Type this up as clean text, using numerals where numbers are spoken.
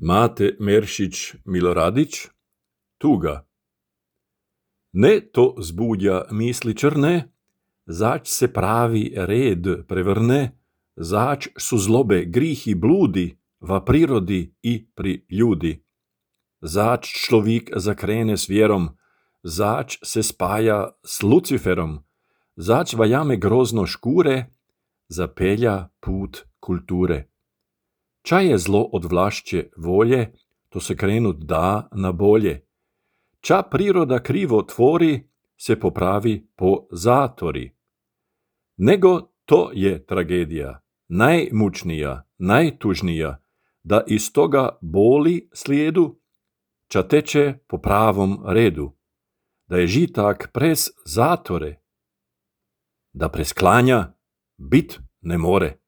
Mate Meršić Miloradić, tuga. Ne to zbudja misli črne, zač se pravi red prevrne, zač su zlobe, grihi, bludi v prirodi i pri ljudi. Zač človek zakrene s vjerom, zač se spaja s Luciferom, zač vajame grozno škure, zapelja put kulture. Ča je zlo od vlašće volje, to se krenut da na bolje. Ča priroda krivo tvori, se popravi po zatori. Nego to je tragedija, najmučnija, najtužnija, da iz toga boli slijedu, ča teče po pravom redu, da je žitak prez zatore, da prez klanja bit ne more.